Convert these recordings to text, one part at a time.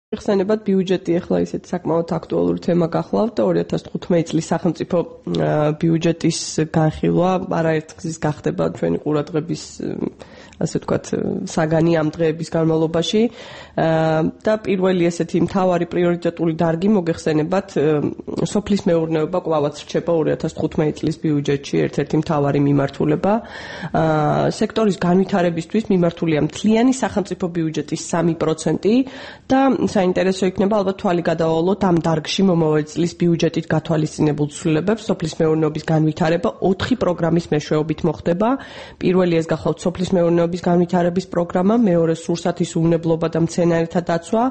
ხსენებათ ბიუჯეტი ახლა ისეთ საკმაოდ აქტუალური თემა გახლავთ და 2015 წლის სახელმწიფო ბიუჯეტის განხილვა არაერთგზის გახდება ჩვენი ყურადღების ასე ვთქვათ საგანი ამ დღეების განმავლობაში და პირველი ესეთი მთავარი პრიორიტეტული დარგი მოგეხსენებათ სოფლის მეურნეობა კვლავაც რჩება 2015 წლის ბიუჯეტში ერთ-ერთი მთავარი მიმართულება სექტორის განვითარებისთვის მიმართულია მთლიანი სახელმწიფო ბიუჯეტის 3% და საინტერესო იქნება ალბათ თვალი გადავალოთ ამ დარგში მომავალი წლის ბიუჯეტით გათვალისწინებულ ცვლილებებს სოფლის მეურნეობის განვითარება 4 პროგრამის მეშვეობით მოხდება პირველი ეს გახლავთ სოფლის მეურნეობის განვითარების პროგრამა მეორე სურსათის უვნებლობა და მცენარეთა დაცვა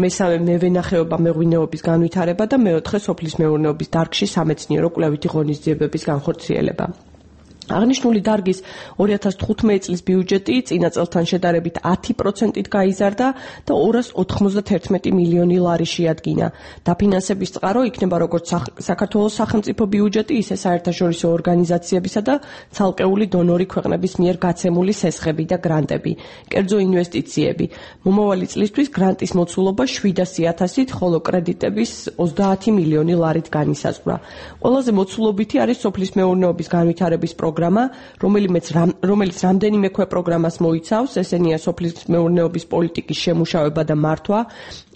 მესამე მევენახეობა მეღვინეობის განვითარება და მეოთხე სოფლის მეურნეობის დარგში სამეცნიერო კვლევითი ღონისძიებების განხორციელება აღნიშნული დარგის 2015 წლის ბიუჯეტი წინა წელთან შედარებით 10%-ით გაიზარდა და 291 მილიონი ლარი შეადგინა. დაფინანსების წყარო იქნება როგორც საქართველოს სახელმწიფო ბიუჯეტი, ისე საერთაშორისო ორგანიზაციებისა და ცალკეული დონორი ქვეყნების მიერ გაცემული სესხები და გრანტები, კერძო ინვესტიციები. მომავალი წლისთვის გრანტის მოცულობა 700.000-ით, ხოლო კრედიტების 30 მილიონი ლარით განისაზღვრა. ყველაზე მოცულობითი არის სოფლის მეურნეობის განვითარების პროგრამა, რომელიც რამდენიმე ქვეპროგრამას მოიცავს, ესენია სოფლის მეურნეობის პოლიტიკის შემუშავება და მართვა,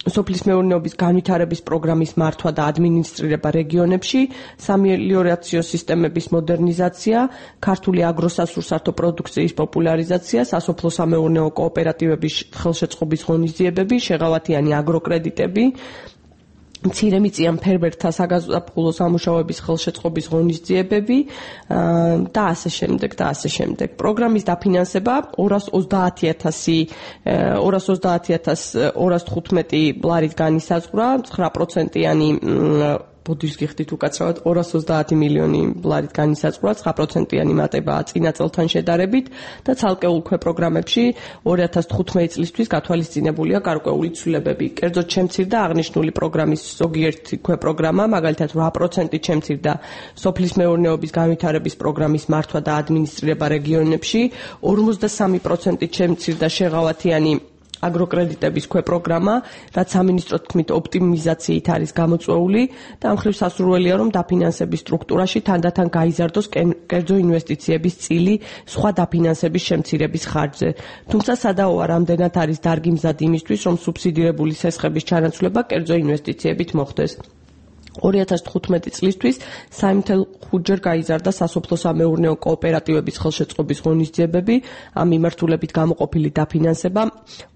სოფლის მეურნეობის განვითარების პროგრამის მართვა და ადმინისტრირება რეგიონებში, სამელიორაციო სისტემების მოდერნიზაცია, ქართული აგროსასურსათო პროდუქციის პოპულარიზაცია, სასოფლო-სამეურნეო კოოპერატივების ხელშეწყობის ღონისძიებები, შეღავათიანი აგროკრედიტები, მცირემიწიან ფერმერთა საგაზაფხულო სამუშაოების ხელშეწყობის ღონისძიებები და ასე შემდეგ. პროგრამის დაფინანსება 230.215 ლარით განისაზღვრა, 9%-იანი ბოდიშ გიხდით უკაცრავად 230 მილიონი ლარით განისაზღვრა, 9%-იანი მატებაა წინა წელთან შედარებით და ცალკეულ ქვეპროგრამებში 2015 წლისთვის გათვალისწინებულია გარკვეული ცვლილებები. კერძოდ შემცირდა აღნიშნული პროგრამის ზოგიერთი ქვეპროგრამა, მაგალითად 8%-ით შემცირდა სოფლის მეურნეობის განვითარების პროგრამის მართვა და ადმინისტრირება რეგიონებში, 53%-ით შემცირდა შეღავათიანი აგროკრედიტების ქვეპროგრამა, რაც სამინისტროს თქმით ოპტიმიზაციით არის გამოწვეული და ამ მხრივ სასურველია, რომ დაფინანსების სტრუქტურაში თანდათან გაიზარდოს კერძო ინვესტიციების წილი სხვა დაფინანსების შემცირების ხარჯზე. თუმცა სადაოა რამდენად არის დარგი მზად იმისთვის, რომ სუბსიდირებული სესხების ჩანაცვლება კერძო ინვესტიციებით მოხდეს. 2015 წლისთვის 3.5-ჯერ გაიზარდა სასოფლო-სამეურნეო კოოპერატივების ხელშეწყობის ღონისძიებები, ამ მიმართულებით გამოყოფილი დაფინანსება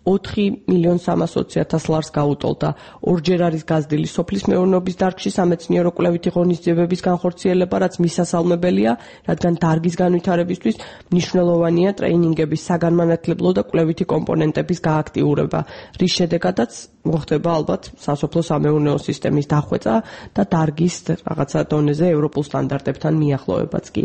4.320.000 ლარს გაუტოლდა. ორჯერ არის გაზრდილი სოფლის მეურნეობის დარგში სამეცნიერო კვლევითი ღონისძიებების განხორციელება, რაც მისასალმებელია, რადგან დარგის განვითარებისთვის მნიშვნელოვანია ტრეინინგების საგანმანათლებლო და კვლევითი კომპონენტების გააქტიურება, რის შედეგადაც მოხდება ალბათ სასოფლო-სამეურნეო სისტემის დახვეწა და დარგის რაღაცა დონეზე ევროპულ სტანდარტებთან მიახლოვებაც კი.